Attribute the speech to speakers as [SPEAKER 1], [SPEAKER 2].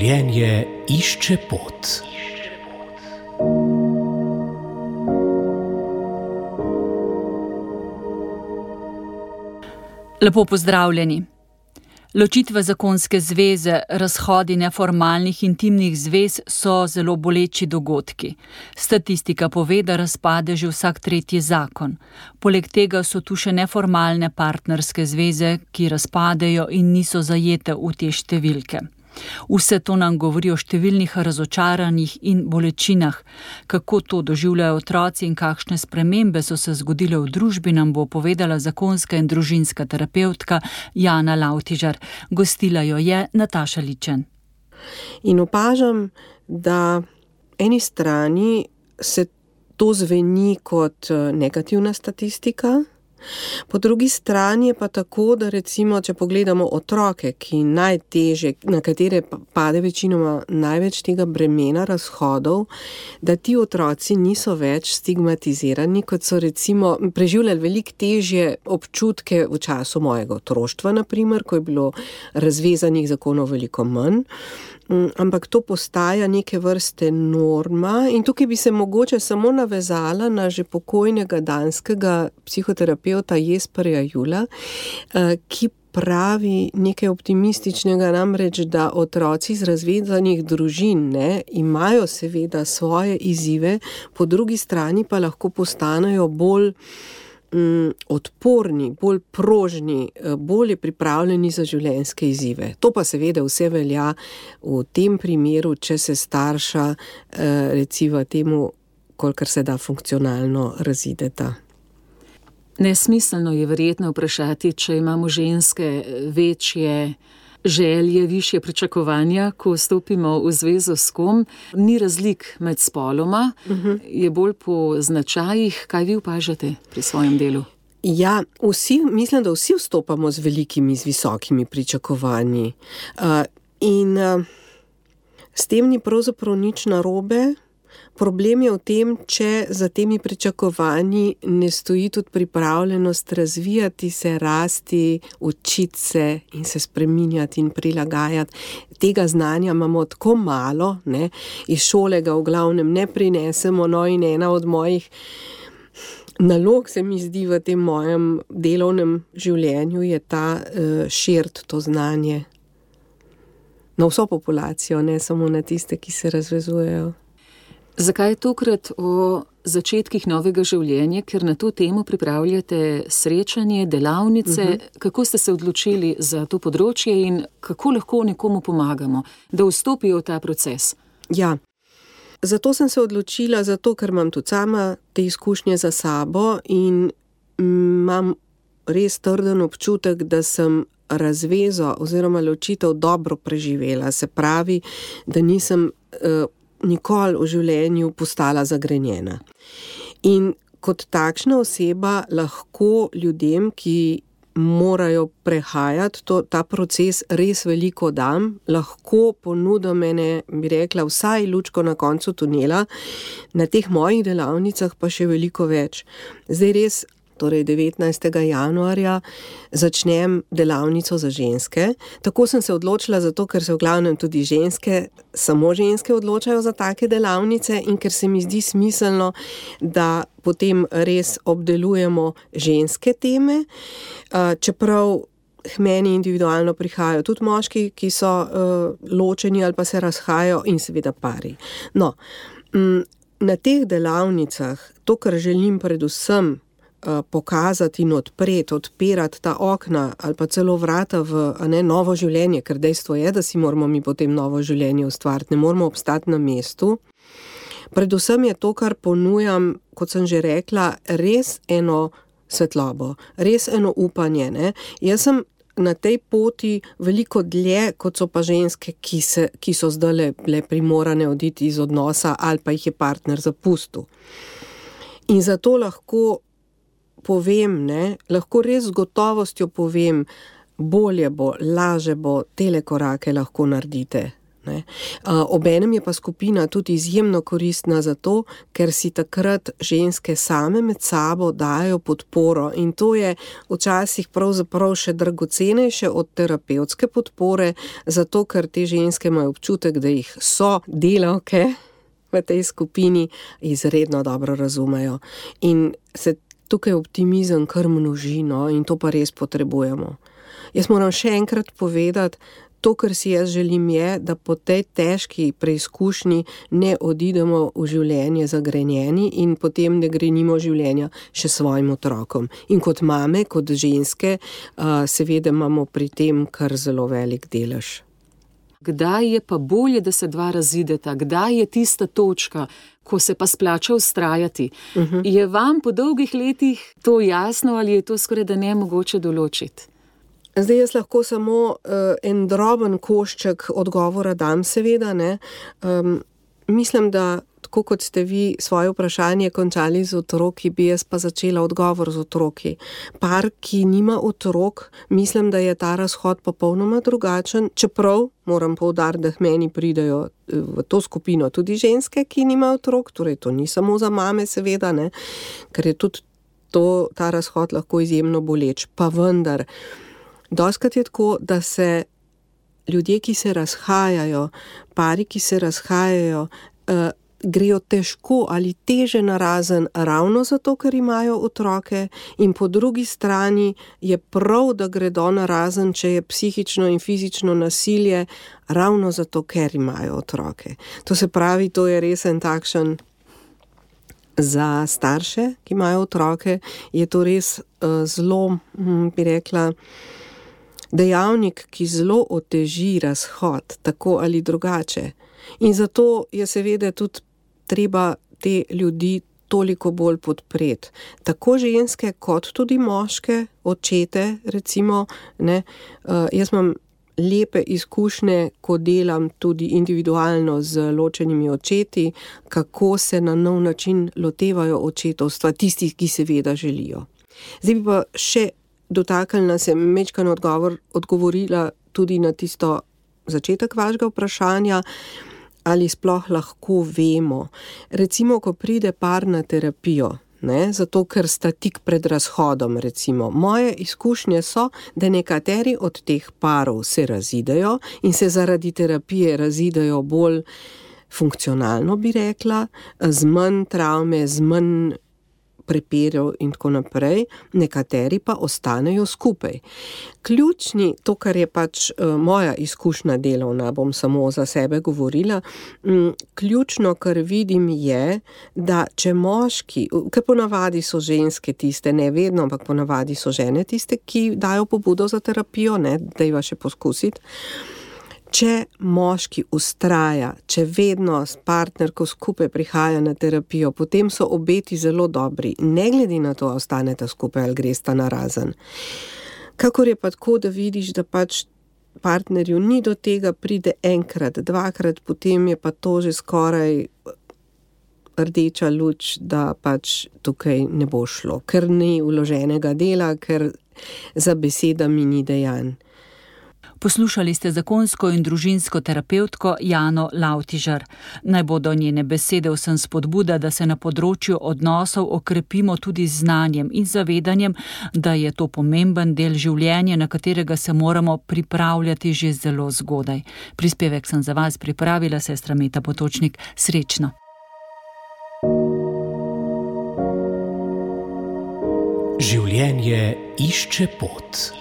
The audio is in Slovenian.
[SPEAKER 1] Življenje išče pot.
[SPEAKER 2] Lepo pozdravljeni. Ločitve zakonske zveze, razhodi neformalnih intimnih zvez so zelo boleči dogodki. Statistika pove, da razpade že vsak tretji zakon. Poleg tega so tu še neformalne partnerske zveze, ki razpadejo in niso zajete v te številke. Vse to nam govori o številnih razočaranjih in bolečinah. Kako to doživljajo otroci in kakšne spremembe so se zgodile v družbi, nam bo povedala zakonska in družinska terapevtka Jana Lavtižar. Gostila jo je Nataša Ličen.
[SPEAKER 3] In opažam, da eni strani se to zveni kot negativna statistika, po drugi strani je pa tako, da recimo, če pogledamo otroke, ki najtežje, na katere pade večinoma največ tega bremena razhodov, da ti otroci niso več stigmatizirani, kot so recimo preživljali veliko težje občutke v času mojega otroštva, naprimer, ko je bilo razvezanih zakonov veliko manj. Ampak to postaja neke vrste norma in tukaj bi se mogoče samo navezala na že pokojnega danskega psihoterapeuta Jesperja Juhla, ki pravi nekaj optimističnega, namreč, da otroci iz razvezanih družin imajo seveda svoje izzive, po drugi strani pa lahko postanejo bolj odporni, bolj prožni, bolje pripravljeni za življenjske izzive. To pa seveda vse velja v tem primeru, če se starša recimo temu, kolikor se da funkcionalno razideta.
[SPEAKER 4] Nesmiselno je verjetno vprašati, če imamo ženske večje želje, višje pričakovanja, ko vstopimo v zvezo s kom. Ni razlik med spoloma, je bolj po značajih. Kaj vi opažate pri svojem delu?
[SPEAKER 3] Ja, mislim, da vsi vstopamo z velikimi, z visokimi pričakovanji. In s tem ni pravzaprav nič narobe. Problem je v tem, če za temi pričakovanji ne stoji tudi pripravljenost razvijati se, rasti, učiti se in se spreminjati in prilagajati. Tega znanja imamo tako malo, iz šole ga v glavnem ne prinesemo, in ena od mojih nalog se mi zdi v tem mojem delovnem življenju je ta širiti to znanje na vso populacijo, ne samo na tiste, ki se razvezujejo.
[SPEAKER 4] Zakaj tokrat o začetkih novega življenja, ker na to temo pripravljate srečanje, delavnice? Kako ste se odločili za to področje in kako lahko nekomu pomagamo, da vstopijo v ta proces?
[SPEAKER 3] Ja, zato sem se odločila, ker imam tudi sama te izkušnje za sabo in imam res trden občutek, da sem razvezo oziroma ločitev dobro preživela. Se pravi, da nisem nikoli v življenju postala zagrenjena. In kot takšna oseba lahko ljudem, ki morajo prehajati ta proces, res veliko dam, lahko ponudim bi rekla, vsaj lučko na koncu tunela, na teh mojih delavnicah pa še veliko več. Zdaj res, torej 19. januarja, začnem delavnico za ženske. Tako sem se odločila zato, ker se v glavnem tudi samo ženske odločajo za take delavnice in ker se mi zdi smiselno, da potem res obdelujemo ženske teme, čeprav k meni individualno prihajajo tudi moški, ki so ločeni ali pa se razhajajo in seveda pari. Na teh delavnicah to, kar želim predvsem pokazati in odpirati ta okna ali pa celo vrata v novo življenje, ker dejstvo je, da si moramo mi potem novo življenje ustvariti, ne moramo obstati na mestu. Predvsem je to, kar ponujam, kot sem že rekla, res eno svetlobo, res eno upanje. Jaz sem na tej poti veliko dlje, kot so pa ženske, ki so zdaj bile primorane oditi iz odnosa ali pa jih je partner zapustil. In zato lahko povem, lahko res z gotovostjo povem, bolje bo, laže bo, tele korake lahko naredite. ne. Obenem je pa skupina tudi izjemno koristna zato, ker si takrat ženske same med sabo dajo podporo in to je včasih pravzaprav še dragocenejše od terapevtske podpore, zato ker te ženske imajo občutek, da jih so delavke v tej skupini izredno dobro razumejo. In se tukaj optimizem kar množi, no, in to pa res potrebujemo. Jaz moram še enkrat povedati, to, kar si jaz želim, je, da po tej težki preizkušnji ne odidemo v življenje zagrenjeni in potem ne grenimo življenja še svojim otrokom. In kot mame, kot ženske, seveda imamo pri tem kar zelo velik delež.
[SPEAKER 4] Kdaj je pa bolje, da se dva razideta? Kdaj je tista točka, ko se pa splača vztrajati? Je vam po dolgih letih to jasno ali je to skoraj da nemogoče določiti?
[SPEAKER 3] Zdaj jaz lahko samo en droben košček odgovora dam, seveda, ne. Mislim, da tako kot ste vi svoje vprašanje končali z otroki, bi jaz pa začela odgovor z otroki. Par, ki nima otrok, mislim, da je ta razhod popolnoma drugačen, čeprav moram poudariti, da meni pridejo v to skupino tudi ženske, ki nimajo otrok, torej to ni samo za mame, seveda, ne, ker je tudi ta razhod lahko izjemno boleč. Pa vendar, dostikrat je tako, da se ljudje, ki se razhajajo, pari, ki se razhajajo, grejo težko ali teže narazen ravno zato, ker imajo otroke in po drugi strani je prav, da gredo narazen, če je psihično in fizično nasilje, ravno zato, ker imajo otroke. To se pravi, to je res en takšen, za starše, ki imajo otroke, je to res zelo, bi rekla, dejavnik, ki zelo oteži razhod, tako ali drugače. In zato je seveda tudi treba te ljudi toliko bolj podpreti. Tako ženske, kot tudi moške, očete, recimo, ne. Jaz imam lepe izkušnje, ko delam tudi individualno z ločenimi očeti, kako se na nov način lotevajo očetovstva, tistih, ki seveda želijo. Zdaj bi pa še dotaknila se majčkeno odgovorila tudi na tisto začetek vašega vprašanja, ali sploh lahko vemo. Recimo, ko pride par na terapijo, ne, zato ker sta tik pred razhodom, recimo. Moje izkušnje so, da nekateri od teh parov se razidejo in se zaradi terapije razidejo bolj funkcionalno, bi rekla, z manj travme, z manj prepirov in tako naprej, nekateri pa ostanejo skupaj. Ključni, to, kar je pač moja izkušnja delovna, bom samo za sebe govorila, ključno, kar vidim, je, da če moški, ker ponavadi so ženske tiste, ne vedno, ampak ponavadi so žene tiste, ki dajo pobudo za terapijo, ne, dajva še poskusiti. Če moški vztraja, če vedno s partnerko skupaj prihaja na terapijo, potem so obeti zelo dobri, ne glede na to, a ostaneta skupaj ali gresta narazen. Kakor je pa tako, da vidiš, da pač partnerju ni do tega, pride enkrat, dvakrat, potem je pa to že skoraj rdeča luč, da pač tukaj ne bo šlo, ker ni vloženega dela, ker za besedami ni dejanj.
[SPEAKER 2] Poslušali ste zakonsko in družinsko terapevtko Jano Lavtižar. Naj bodo njene besede vsem spodbuda, da se na področju odnosov okrepimo tudi z znanjem in zavedanjem, da je to pomemben del življenja, na katerega se moramo pripravljati že zelo zgodaj. Prispevek sem za vas pripravila sestra Meta Potočnik. Srečno!
[SPEAKER 1] Življenje išče pot.